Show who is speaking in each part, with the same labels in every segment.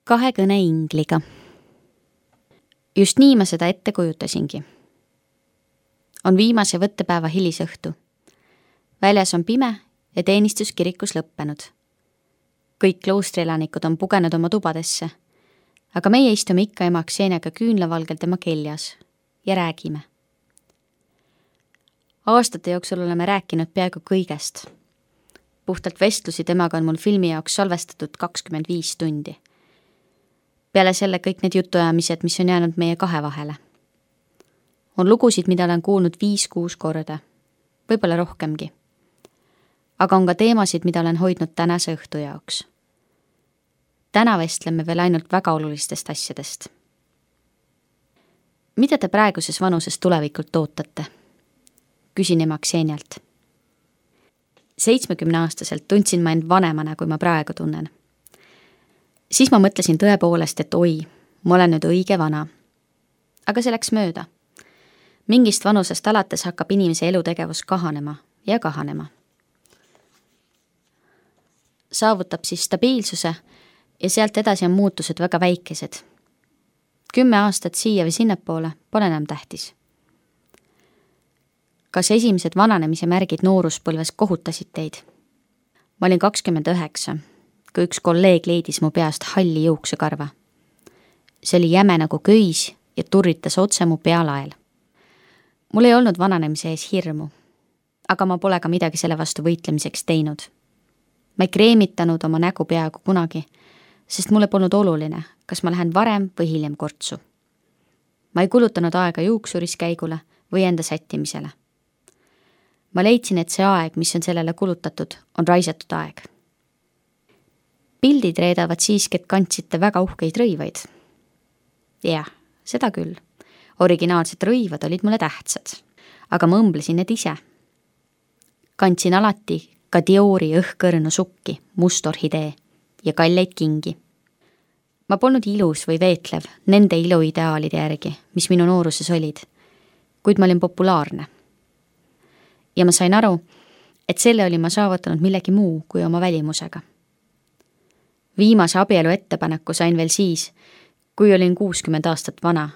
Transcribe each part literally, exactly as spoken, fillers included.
Speaker 1: kahe kõne ingliga. Just nii ma seda ette kujutasingi. On viimase võttepäeva hilisõhtu. Väljas on pime ja teenistus kirikus lõppenud. Kõik kloostrielanikud on pugenud oma tubadesse, aga meie istume ikka ema Kseniaga küünlavalgel tema keljas ja räägime. Aastate jooksul oleme rääkinud peaaegu kõigest. Puhtalt vestlusi temaga on mul filmi jaoks salvestatud kakskümmend viis tundi. Peale selle kõik need jutuajamised, mis on jäänud meie kahe vahele. On lugusid, mida olen kuulnud viis-kuus korda, võib-olla rohkemgi. Aga on ka teemasid, mida olen hoidnud tänase õhtu jaoks. Täna vestleme veel ainult väga olulistest asjadest. Mida te praeguses vanuses tulevikult ootate? Küsin ema Ksenialt. seitsmekümne aastaselt tundsin ma end vanemana, kui ma praegu tunnen. Siis ma mõtlesin tõepoolest, et oi, ma olen nüüd õige vana. Aga see läks mööda. Mingist vanusest alates hakkab inimese elutegevus kahanema ja kahanema. Saavutab siis stabiilsuse ja sealt edasi on muutused väga väikesed. Kümme aastat siia või sinnapoole pole enam tähtis. Kas esimesed vananemise märgid nooruspõlves kohutasid teid? Ma olin kakskümmend üheksa. Kui üks kolleeg leidis mu peast halli juuksekarva. See oli jäme nagu köis ja turritas otse mu pealael. Mul ei olnud vananemise ees hirmu, aga ma pole ka midagi selle vastu võitlemiseks teinud. Ma ei kreemitanud oma nägu peaaegu kunagi, sest mulle polnud oluline, kas ma lähen varem või hiljem kortsu. Ma ei kulutanud aega juuksuriskäigule või enda sättimisele. Ma leidsin, et see aeg, mis on sellele kulutatud, on raisatud aeg. Pildid reedavad siiski, et kandsite väga uhkeid rõivaid. Jah, seda küll. Originaalsed rõivad olid mulle tähtsad, aga ma õmblesin need ise. Kandsin alati ka Diori õhkõrnu sukki, mustorhidee ja kalleid kingi. Ma polnud ilus või veetlev nende iluideaalide järgi, mis minu nooruses olid, kuid ma olin populaarne. Ja ma sain aru, et selle oli ma saavutanud millegi muu kui oma välimusega. Viimase abielu ettepaneku sain veel siis, kui olin kuuskümmend aastat vana,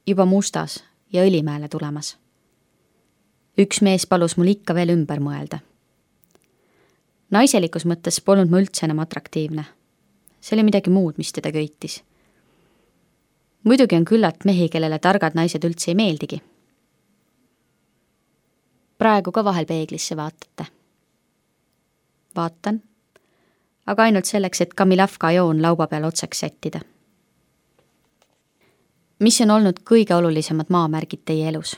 Speaker 1: juba mustas ja õlimäele tulemas. Üks mees palus mul ikka veel ümber mõelda. Naiselikus mõttes polnud ma üldse enam atraktiivne. See oli midagi muud, mis teda köitis. Muidugi on küllalt mehi, kellele targad naised üldse ei meeldigi. Praegu ka vahel peeglisse vaatate. Vaatan. Aga ainult selleks, et Kamilavka joon lauba peal otsaks sättida. Mis on olnud kõige olulisemad maamärgid teie elus?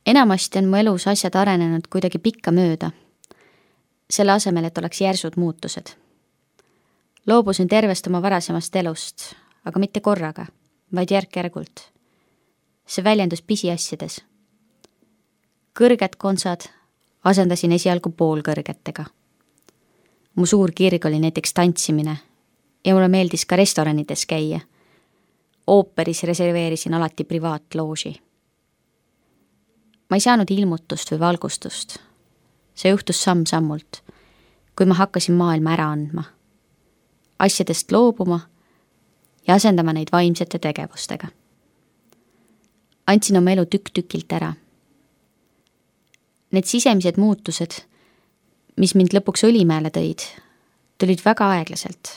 Speaker 1: Enamasti on mu elus asjad arenenud kuidagi pikka mööda, selle asemel, et oleks järsud muutused. Loobusin tervest oma varasemast elust, aga mitte korraga, vaid järk-järgult. See väljendus pisiasjades. Kõrged konsad asendasin esialgu poolkõrgetega. Mu suur kirg oli näiteks tantsimine ja mulle meeldis ka restoranides käia. Ooperis reserveerisin alati privaatlooži. Ma ei saanud ilmutust või valgustust. See juhtus samm-sammult, kui ma hakkasin maailma ära andma. Asjadest loobuma ja asendama neid vaimsete tegevustega. Andsin oma elu tükk-tükilt ära. Need sisemised muutused, mis mind lõpuks õlimäele tõid, tulid väga aeglaselt.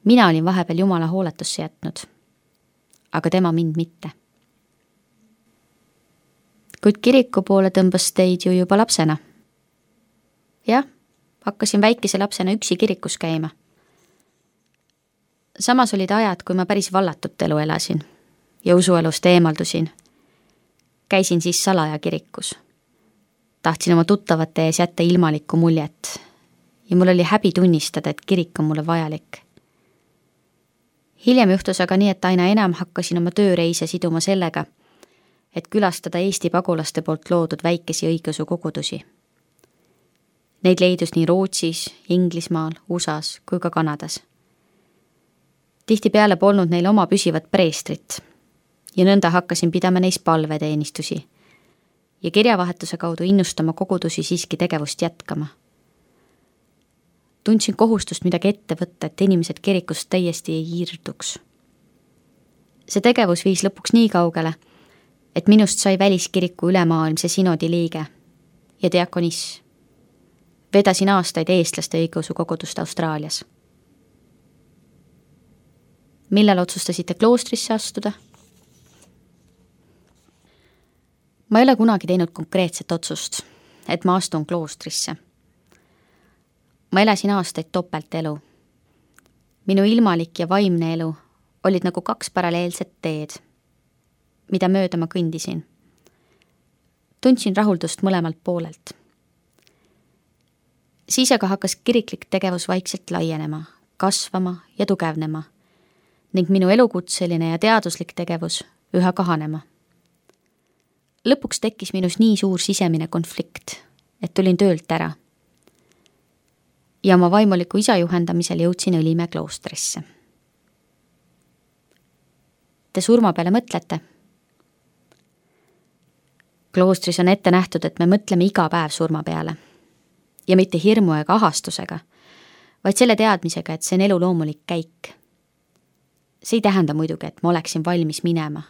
Speaker 1: Mina olin vahepeal Jumala hooletusse jätnud, aga tema mind mitte. Kuid kiriku poole tõmbas teid ju juba lapsena. Jah, hakkasin väikese lapsena üksi kirikus käima. Samas olid ajad, kui ma päris vallatut elu elasin ja usuelust eemaldusin. Käisin siis salaja kirikus. Tahtsin oma tuttavate ees jätta ilmalikku muljet ja mul oli häbi tunnistada, et kirik on mulle vajalik. Hiljem juhtus aga nii, et aina enam hakkasin oma tööreise siduma sellega, et külastada Eesti pagulaste poolt loodud väikesi õigeusu kogudusi. Neid leidus nii Rootsis, Inglismaal, U S As kui ka Kanadas. Tihtipeale polnud neil oma püsivat preestrit ja nõnda hakkasin pidama neis palveteenistusi ja kirjavahetuse kaudu innustama kogudusi siiski tegevust jätkama. Tundsin kohustust midagi ette võtta, et inimesed kirikust täiesti ei hiirduks. See tegevus viis lõpuks nii kaugele, et minust sai väliskiriku ülemaailmse sinodi liige ja diakoniss. Vedasin aastaid eestlaste õigeusu kogudust Austraalias. Millal otsustasite kloostrisse astuda? Ma ei ole kunagi teinud konkreetset otsust, et ma astun kloostrisse. Ma elasin aastaid topeltelu. Minu ilmalik ja vaimne elu olid nagu kaks paralleelset teed, mida mööda ma kõndisin. Tundsin rahuldust mõlemalt poolelt. Siis aga hakkas kiriklik tegevus vaikselt laienema, kasvama ja tugevnema ning minu elukutseline ja teaduslik tegevus üha kahanema. Lõpuks tekkis minus nii suur sisemine konflikt, et tulin töölt ära. Ja oma vaimuliku isa juhendamisel jõudsin Õlimäe kloostrisse. Te surma peale mõtlete? Kloostris on ette nähtud, et me mõtleme iga päev surma peale. Ja mitte hirmu ega ahastusega, vaid selle teadmisega, et see on elu loomulik käik. See ei tähenda muidugi, et ma oleksin valmis minema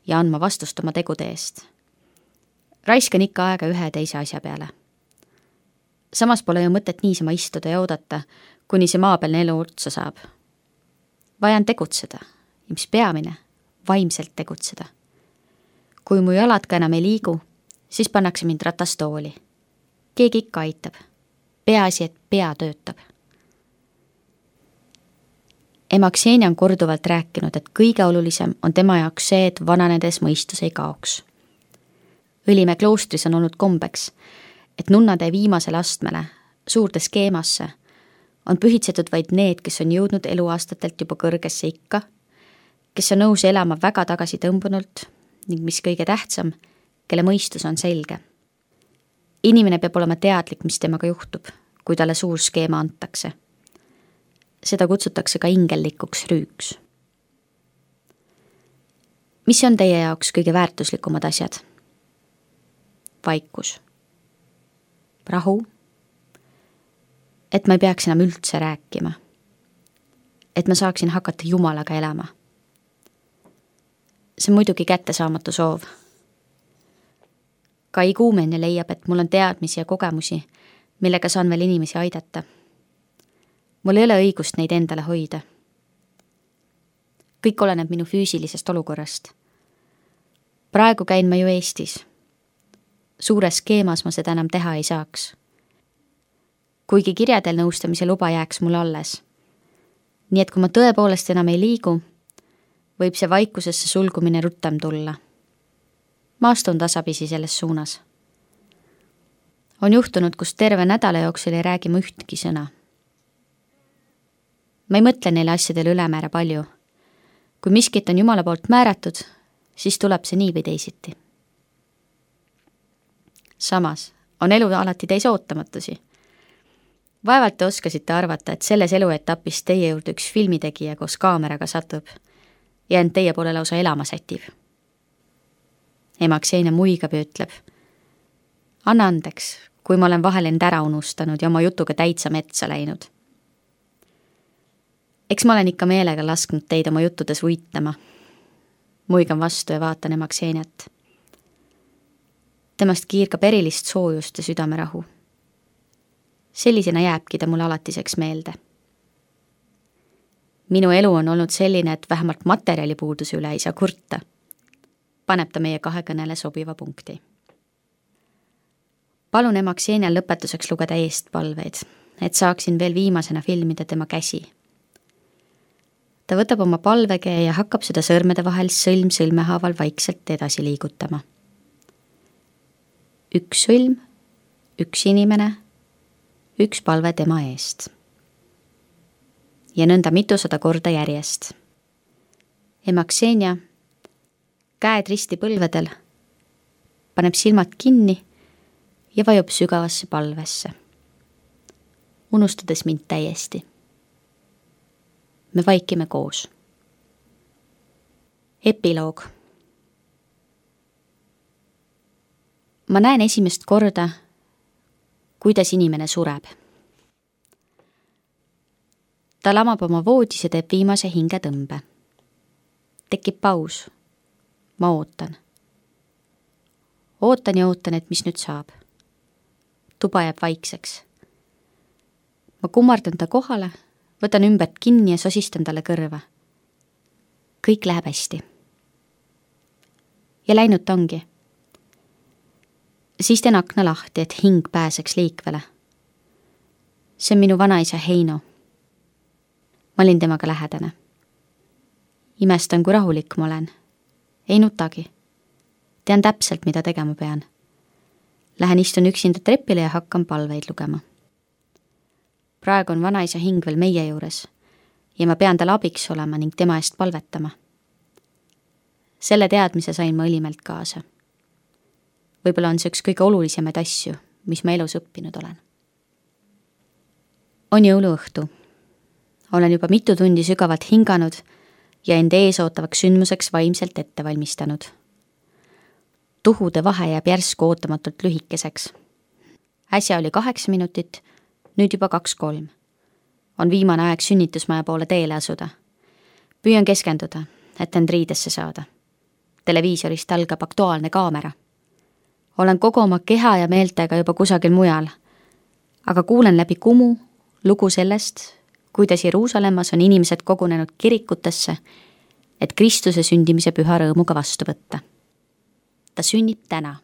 Speaker 1: ja andma vastust oma tegude eest. Raiskan ikka aega ühe teise asja peale. Samas pole ju mõtet niisama istuda ja oodata, kuni see maapealne elu otsa saab. Vajan tegutseda ja mis peamine, vaimselt tegutseda. Kui mu jalad ka enam ei liigu, siis pannakse mind ratastooli. Keegi ikka aitab. Peaasi, et pea töötab. Ema Ksenia on korduvalt rääkinud, et kõige olulisem on tema jaoks see, et vananedes mõistus ei kaoks. Õlimäe kloostris on olnud kombeks, et nunnade viimasele astmele, suurde skeemasse, on pühitsetud vaid need, kes on jõudnud eluaastatelt juba kõrgesse ikka, kes on nõus elama väga tagasi tõmbunult ning mis kõige tähtsam, kelle mõistus on selge. Inimene peab olema teadlik, mis temaga juhtub, kui talle suur skeema antakse. Seda kutsutakse ka ingellikuks rüüks. Mis on teie jaoks kõige väärtuslikumad asjad? Vaikus. Rahu. Et ma ei peaks enam üldse rääkima. Et ma saaksin hakata Jumalaga elama. See on muidugi kättesaamatu soov. Kai Kuumene leiab, et mul on teadmisi ja kogemusi, millega saan veel inimesi aidata. Mul ei ole õigust neid endale hoida. Kõik oleneb minu füüsilisest olukorrast. Praegu käin ma ju Eestis. Suures skeemas ma seda enam teha ei saaks. Kuigi kirjadel nõustamise luba jääks mul alles. Nii et kui ma tõepoolest enam ei liigu, võib see vaikusesse sulgumine rutem tulla. Ma astun tasapisi selles suunas. On juhtunud, kus terve nädala jooksul ei räägi ma ühtki sõna. Ma ei mõtle neile asjadele ülemäära palju. Kui miskit on Jumala poolt määratud, siis tuleb see nii või teisiti. Samas on elu alati täis ootamatusi. Vaevalt te oskasite arvata, et selles eluetapis teie juurde üks filmitegija koos kaameraga satub ja end teie poole lausa elama sätib. Ema Ksenia muigab ja ütleb: anna andeks, kui ma olen vahel end ära unustanud ja oma jutuga täitsa metsa läinud. Eks ma olen ikka meelega lasknud teid oma juttudes uitama. Muigan vastu ja vaatan ema Kseniat. Temast kiirgab erilist soojust ja südamerahu. Sellisena jääbki ta mulle alatiseks meelde. Minu elu on olnud selline, et vähemalt materjalipuuduse üle ei saa kurta. Paneb ta meie kahekõnele sobiva punkti. Palun ema Ksenial lõpetuseks lugeda eestpalveid, et saaksin veel viimasena filmida tema käsi. Ta võtab oma palvekäe ja hakkab seda sõrmede vahel sõlm sõlmehaaval vaikselt edasi liigutama. Üks sõlm, üks inimene, üks palve tema eest. Ja nõnda mitusada korda järjest. Ema Ksenia, käed risti põlvedel, paneb silmad kinni ja vajub sügavasse palvesse, unustades mind täiesti. Me vaikime koos. Epiloog. Ma näen esimest korda, kuidas inimene sureb. ta lamab oma voodis ja teeb viimase hingetõmbe. Tekib paus. Ma ootan. Ootan ja ootan, et mis nüüd saab. Tuba jääb vaikseks. Ma kummardan ta kohale, võtan ümbert kinni ja sosistan talle kõrva. Kõik läheb hästi. Ja läinud ta ongi. Siis teen akna lahti, et hing pääseks liikvele. See on minu vanaisa Heino. Ma olin temaga lähedane. Imestan, kui rahulik ma olen. Ei nutagi. Tean täpselt, mida tegema pean. Lähen istun üksinda trepile ja hakkan palveid lugema. Praegu on vanaisa hing veel meie juures ja ma pean tal abiks olema ning tema eest palvetama. Selle teadmise sain ma õlimelt kaasa. Võib-olla on see üks kõige olulisemaid asju, mis ma elus õppinud olen. On jõuluõhtu. Olen juba mitu tundi sügavalt hinganud ja end ees ootavaks sündmuseks vaimselt ette valmistanud. Tuhude vahe jääb järsku ootamatult lühikeseks. Äsja oli kaheksa minutit, nüüd juba kaks-kolm. On viimane aeg sünnitusmaja poole teele asuda. Püüan keskenduda, et end riidesse saada. Televiisorist algab aktuaalne kaamera. Olen kogu oma keha ja meeltega juba kusagil mujal, aga kuulen läbi kumu lugu sellest, kuidas Jeruusalemmas on inimesed kogunenud kirikutesse, et Kristuse sündimise püha rõõmuga vastu võtta. Ta sünnib täna.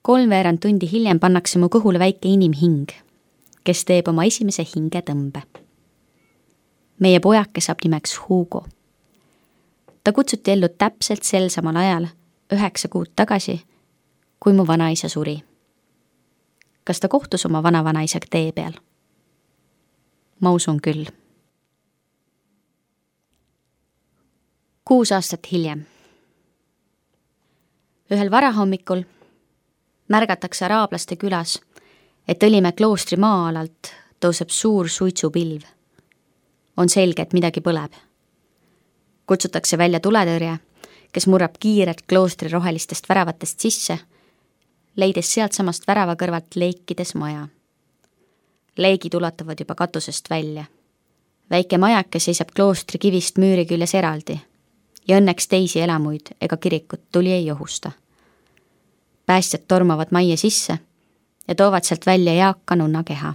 Speaker 1: Kolmveerand tundi hiljem pannakse mu kõhule väike inimhing, kes teeb oma esimese hingetõmbe. Meie pojake saab nimeks Hugo. Ta kutsuti ellu täpselt sel samal ajal, üheksa kuud tagasi, kui mu vanaisa suri. Kas ta kohtus oma vanavanaisaga tee peal? Ma usun küll. Kuus aastat hiljem. Ühel varahommikul märgatakse araablaste külas, et Õlimäe kloostri maa-alalt tõuseb suur suitsupilv. On selge, et midagi põleb. Kutsutakse välja tuletõrje, kes murrab kiirelt kloostri rohelistest väravatest sisse, leides sealt samast värava kõrvalt leikides maja. Leegid ulatuvad juba katusest välja. Väike majake seisab kloostri kivist müüri küljes eraldi ja õnneks teisi elamuid ega kirikut tuli ei ohusta. Päästjad tormavad majja sisse ja toovad sealt välja eaka nunna keha,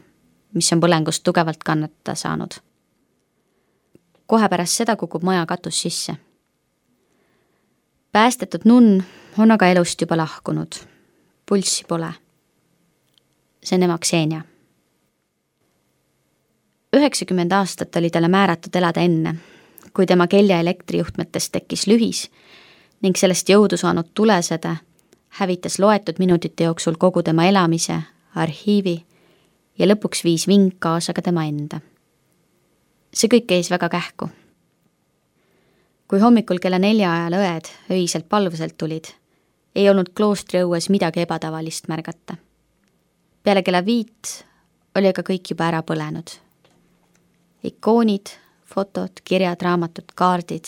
Speaker 1: mis on põlengust tugevalt kannatada saanud. Kohe pärast seda kukub maja katus sisse. Päästetud nunn on aga elust juba lahkunud. Pulssi pole. See on ema Ksenia. üheksakümmend aastat oli talle määratud elada enne, kui tema kelja elektrijuhtmetest tekkis lühis ning sellest jõudu saanud tulesede hävitas loetud minutite jooksul kogu tema elamise, arhiivi ja lõpuks viis ving kaasa ka tema enda. See kõik käis väga kähku. Kui hommikul kella nelja ajal õed öiselt palvuselt tulid, ei olnud kloostri õues midagi ebatavalist märgata. Peale kella viit oli aga kõik juba ära põlenud. Ikoonid, fotod, kirjad, raamatud, kaardid,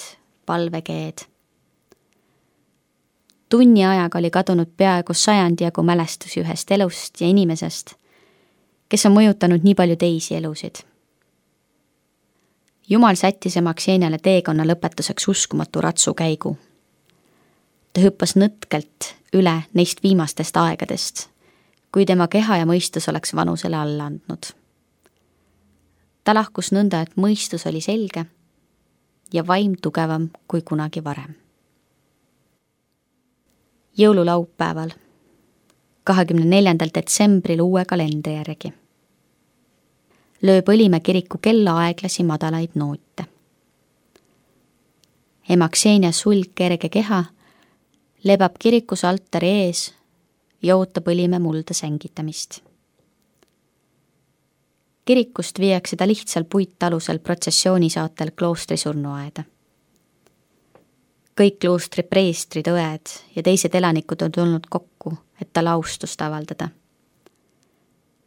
Speaker 1: palvekeed. Tunni ajaga oli kadunud peaaegu sajandi jagu mälestusi ühest elust ja inimesest, kes on mõjutanud nii palju teisi elusid. Jumal sättis ema Kseniale teekonna lõpetuseks uskumatu ratsukäigu. Ta hüppas nõtkelt üle neist viimastest aegadest, kui tema keha ja mõistus oleks vanusele alla andnud. Ta lahkus nõnda, et mõistus oli selge ja vaim tugevam kui kunagi varem. Jõululaupäeval, kahekümne neljandal detsembril uue kalendri järgi, lööb Õlimäe kiriku kella aeglasi madalaid noote. Ema Ksenia sulg kerge keha lebab kirikus altari ees ja ootab Õlimäe mulda sängitamist. Kirikust viiakse ta lihtsal puittalusel protsessioonisaatel kloostri surnuaeda. Kõik kloostri preestrid, õed ja teised elanikud on tulnud kokku, et tal austust avaldada.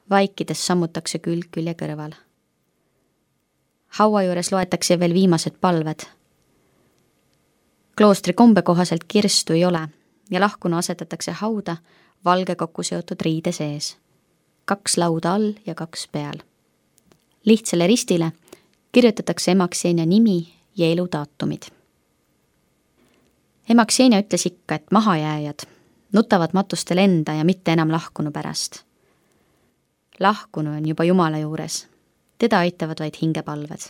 Speaker 1: Vaikides sammutakse külg külje kõrval. Haua juures loetakse veel viimased palved. Kloostri kombe kohaselt kirstu ei ole ja lahkuna asetatakse hauda valge kokku seotud riide sees. Kaks lauda all ja kaks peal. lihtsale ristile kirjutatakse ema Ksenia nimi ja eludaatumid. ema Ksenia ütles ikka, et mahajääjad nutavad matustel enda ja mitte enam lahkunu pärast. Lahkunu on juba Jumala juures, teda aitavad vaid hingepalved.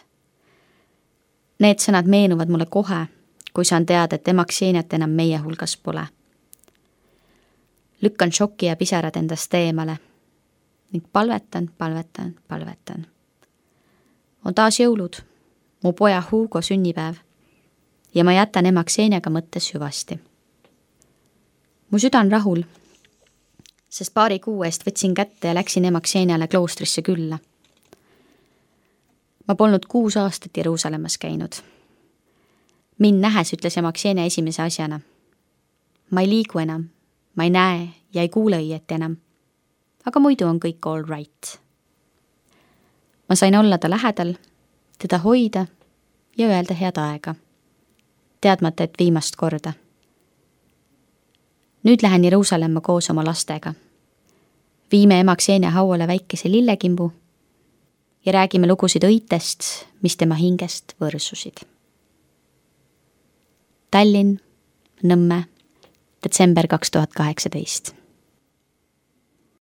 Speaker 1: Need sõnad meenuvad mulle kohe, kui saan teada, et ema Kseniat enam meie hulgas pole. Lükkan šoki ja pisarad endast eemale ning palvetan, palvetan, palvetan. On taas jõulud, mu poja Hugo sünnipäev ja ma jätan ema Kseniaga mõttes hüvasti. Mu süda on rahul, sest paari kuu eest võtsin kätte ja läksin ema Kseniale kloostrisse külla. Ma polnud kuus aastat Jeruusalemmas käinud. Mind nähes ütles ema Ksenia esimese asjana. Ma ei liigu enam, ma ei näe ja ei kuule õieti enam, aga muidu on kõik all right. Ma sain olla ta lähedal, teda hoida ja öelda head aega, teadmata, et viimast korda. Nüüd lähen Jeruusalemma koos oma lastega. Viime ema Ksenia hauale väikese lillekimbu ja räägime lugusid õitest, mis tema hingest võrsusid. Tallinn, Nõmme, detsember kaks tuhat kaheksateist.